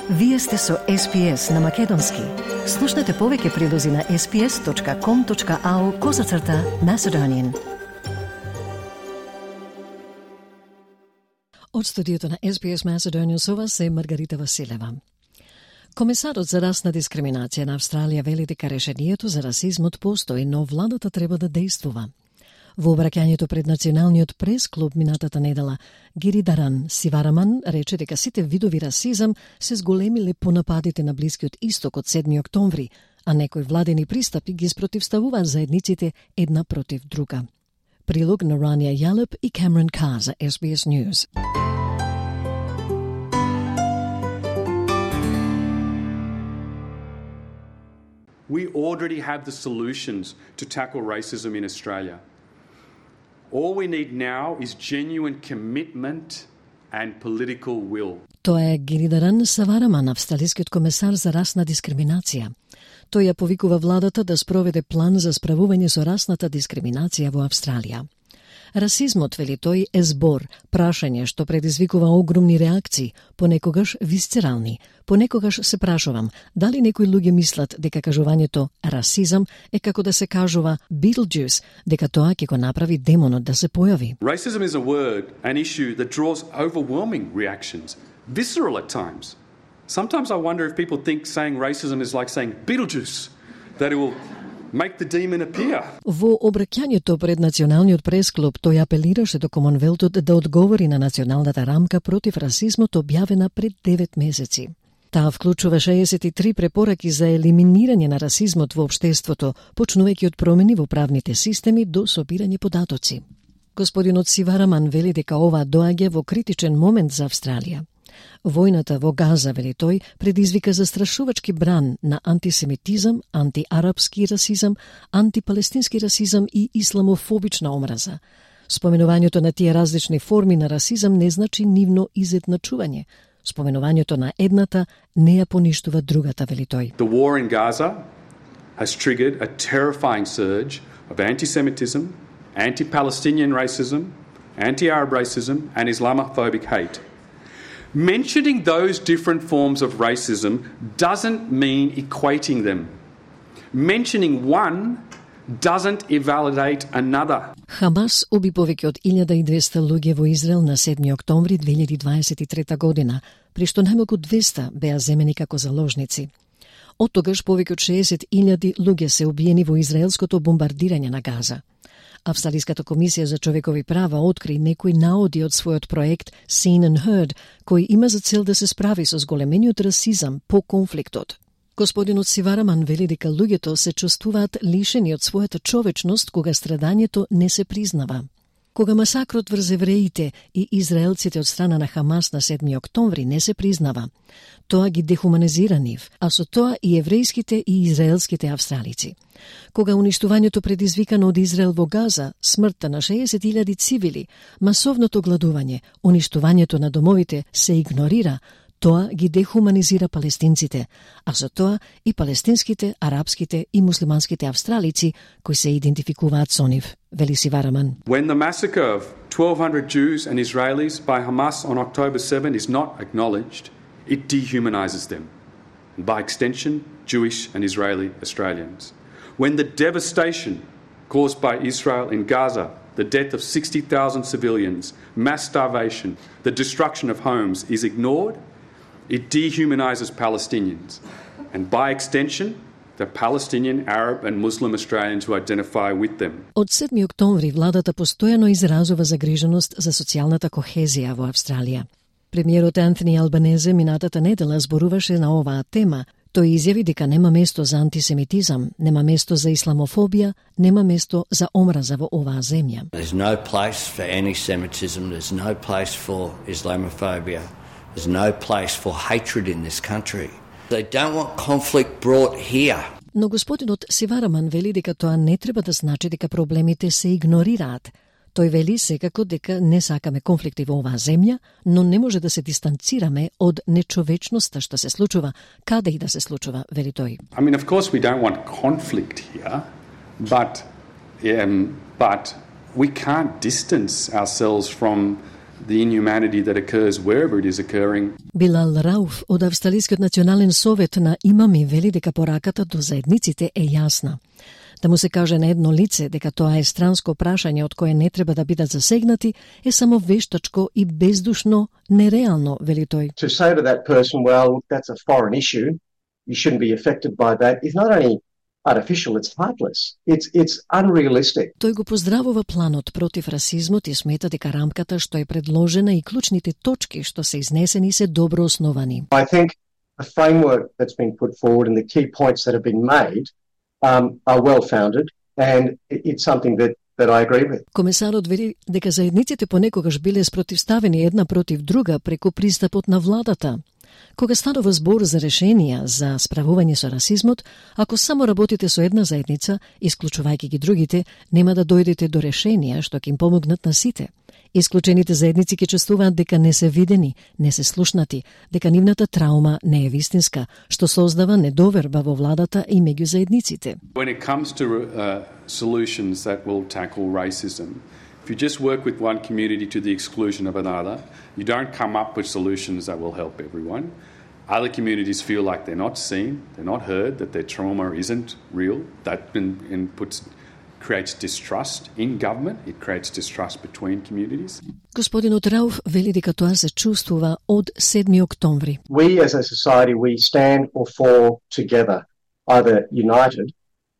Вие сте со SPS на Македонски. Слушнете повеќе прилози на sps.com.au/Macedonian. Од студиото на SBS Macedonian со вас е Маргарита Василева. Комесарот за расна дискриминација на Австралија вели дека решението за расизмот постои, но владата треба да действува. Во обраќањето пред Националниот прес-клуб минатата недела, Гиридаран Сивараман рече дека сите видови расизам се зголемиле по нападите на Блискиот Исток од 7 октомври, а некои владени пристапи ги спротивставуваат заедниците една против друга. Прилог на Рания Ялеп и Камерон Кар за SBS News. We already have the solutions to tackle racism in Australia. All we need now is genuine commitment and political will. Тоа е Гиридаран Сивараман, австралискиот комесар за расна дискриминација. Тој ја повикува владата да спроведе план за справување со расната дискриминација во Австралија. Расизмот, вели тој, е збор, прашање што предизвикува огромни реакции, понекогаш висцерални. Понекогаш се прашувам, дали некои луѓе мислат дека кажувањето расизам е како да се кажува Beetlejuice, дека тоа ќе го направи демонот да се појави. Racism is a word, an issue that draws overwhelming reactions, visceral at times. Sometimes I wonder if people think saying racism is like saying Beetlejuice, that it will make the demon appear. Во обраќањето пред Националниот прес-клуб тој апелираше до Комонвелтот да одговори на националната рамка против расизмот објавена пред 9 месеци. Таа вклучува 63 препораки за елиминирање на расизмот во општеството, почнувајќи од промени во правните системи до собирање податоци. Господинот Сивараман вели дека ова доаѓа во критичен момент за Австралија. Војната во Газа, вели тој, предизвика застрашувачки бран на антисемитизам, антиарапски расизам, антипалестински расизам и исламофобична омраза. Споменувањето на тие различни форми на расизам не значи нивно изедначување. Споменувањето на едната не ја поништува другата, вели тој. The war in Gaza has triggered a terrifying surge of anti-Semitism, anti-Palestinian racism, anti-Arab racism and Islamophobic hate. Mentioning those different forms of racism doesn't mean equating them. Mentioning one doesn't invalidate another. Хамас уби повеќе од 1200 луѓе во Израел на 7 октомври 2023 година, при што најмалку 200 беа земени како заложници. Од тогаш повеќе од 60.000 луѓе се убиени во израелското бомбардирање на Газа. Австралиската комисија за човекови права откри некои наоди од својот проект Seen and Heard, кој има за цел да се справи со зголемениот расизам по конфликтот. Господинот Сивараман вели дека луѓето се чувствуваат лишени од својата човечност кога страдањето не се признава. Кога масакрот врз евреите и израелците од страна на Хамас на 7 октомври не се признава, тоа ги дехуманизира нив, а со тоа и еврејските и израелските австралици. Кога уништувањето предизвикано од Израел во Газа, смртта на 60.000 цивили, масовното гладување, уништувањето на домовите се игнорира, тоа ги дехуманизира палестинците, а со тоа и палестинските, арапските и муслиманските австралици кои се идентификуваат со нив, вели Сивараман. When the massacre of 1,200 Jews and Israelis by Hamas on October 7 is not acknowledged, it dehumanizes them, and by extension, Jewish and Israeli Australians. When the devastation caused by Israel in Gaza, the death of 60,000 civilians, mass starvation, the destruction of homes is ignored, it dehumanizes Palestinians, and by extension, the Palestinian, Arab and Muslim Australians who identify with them. Од 7 октомври владата постојано изразува загриженост за социјалната кохезија во Австралија. Премиерот Антони Албанезе минатата недела зборуваше на оваа тема. Тој изјави дека нема место за антисемитизам, нема место за исламофобија, нема место за омраза во оваа земја. There's no place for anti-Semitism, there's no place for Islamophobia, there's no place for hatred in this country. They don't want conflict brought here. Но господинот Сивараман вели дека тоа не треба да значи дека проблемите се игнорираат. Тој вели секако дека не сакаме конфликти во оваа земја, но не може да се дистанцираме од нечовечноста што се случува, каде и да се случува, вели тој. I mean, of course we don't want conflict here, but we can't distance ourselves from the inhumanity that occurs wherever it is occurring. Билал Рауф од Австралискиот национален совет на имами вели дека пораката до заедниците е јасна. Да му се каже на едно лице дека тоа е странско прашање од кое не треба да бидат засегнати е само вештачко и бездушно, нереално, вели тој. To say to that person, well, that's a foreign issue, you shouldn't be affected by that, is not only artificial, it's heartless. It's unrealistic. Тој го поздравува планот против расизмот и смета дека рамката што е предложена и клучните точки што се изнесени се добро основани. I think the framework that's been put forward and the key points that have been made are well-founded, and it's something that I agree with. Комесарот вели дека заедниците понекогаш биле спротивставени една против друга преку пристапот на владата. Кога станува збор за решенија за справување со расизмот, ако само работите со една заедница, исклучувајќи ги другите, нема да дојдете до решенија што ќе им помогнат на сите. Исклучените заедници ќе чувствуваат дека не се видени, не се слушнати, дека нивната траума не е вистинска, што создава недоверба во владата и меѓу заедниците. When it comes to solutions that will tackle racism, if you just work with one community to the exclusion of another, you don't come up with solutions that will help everyone. Other communities feel like they're not seen, they're not heard, that their trauma isn't real. That creates distrust in government, it creates distrust between communities. Господинот Рауф вели дека тоа се чувствува од 7 октомври. We as a society, we stand or fall together, either united,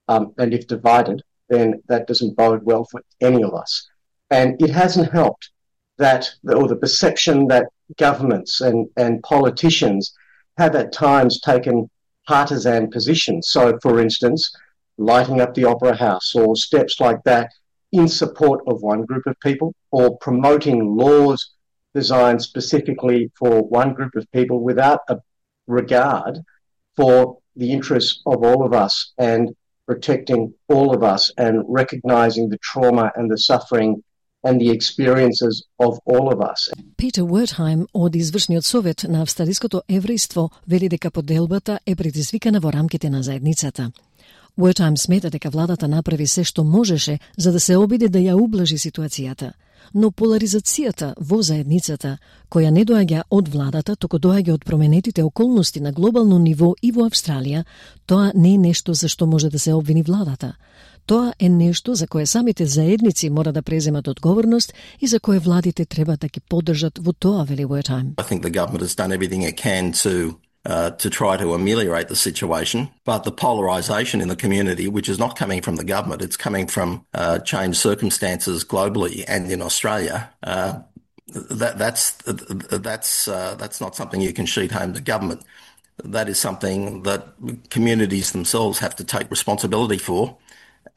and if divided, then that doesn't bode well for any of us. And it hasn't helped that, or the perception that governments and politicians have at times taken partisan positions. So, for instance, lighting up the Opera House or steps like that in support of one group of people, or promoting laws designed specifically for one group of people without a regard for the interests of all of us and protecting all of us and recognizing the trauma and the suffering and the experiences of all of us. Питер Уертхајм од извршниот совет на австралиското еврејство вели дека поделбата е предизвикана во рамките на заедницата. Уертхајм смета дека владата направи се што можеше за да се обиде да ја ублажи ситуацијата, но поларизацијата во заедницата, која не доаѓа од владата, туку доаѓа од променетите околности на глобално ниво и во Австралија, тоа не е нешто за што може да се обвини владата. Тоа е нешто за кое самите заедници мора да преземат одговорност и за кое владите треба да ги поддржат во тоа, вели Уертхајм. I think the government has done everything it can to try to ameliorate the situation, but the polarisation in the community, which is not coming from the government, it's coming from changed circumstances globally and in Australia. That's not something you can sheet home to government. That is something that communities themselves have to take responsibility for,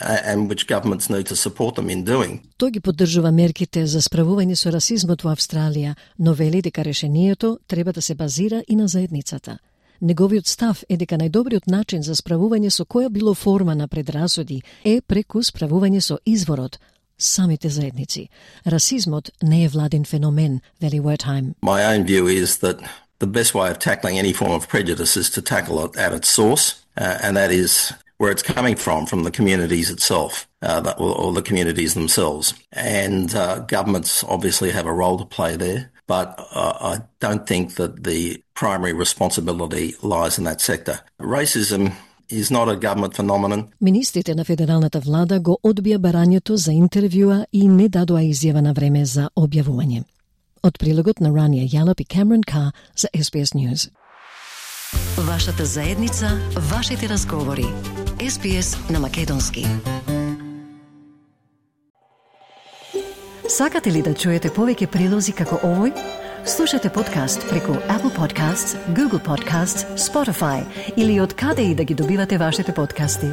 and which governments need to support them in doing. Тој ги поддржува мерките за справување со расизмот во Австралија, но вели дека решението треба да се базира и на заедницата. Неговиот став е дека најдобриот начин за справување со која било форма на предрасуди е преку справување со изворот, самите заедници. Расизмот не е владин феномен, вели Уертхајм. My own view is that the best way of tackling any form of prejudice is to tackle it at its source, and that is where it's coming from the communities itself, or the communities themselves. And governments obviously have a role to play there, but I don't think that the primary responsibility lies in that sector. Racism is not a government phenomenon. Министрите на федералната влада го одбија барањето за интервјуа и не дадоа изјава на време за објавување. Од прилогот на Рания Јалап и Камерон Кар за SBS News. Вашата заедница, вашите разговори. SBS на македонски. Сакате ли да чуете повеќе прилози како овој? Слушате подкаст преку Apple Podcasts, Google Podcasts, Spotify или од каде и да ги добивате вашите подкасти.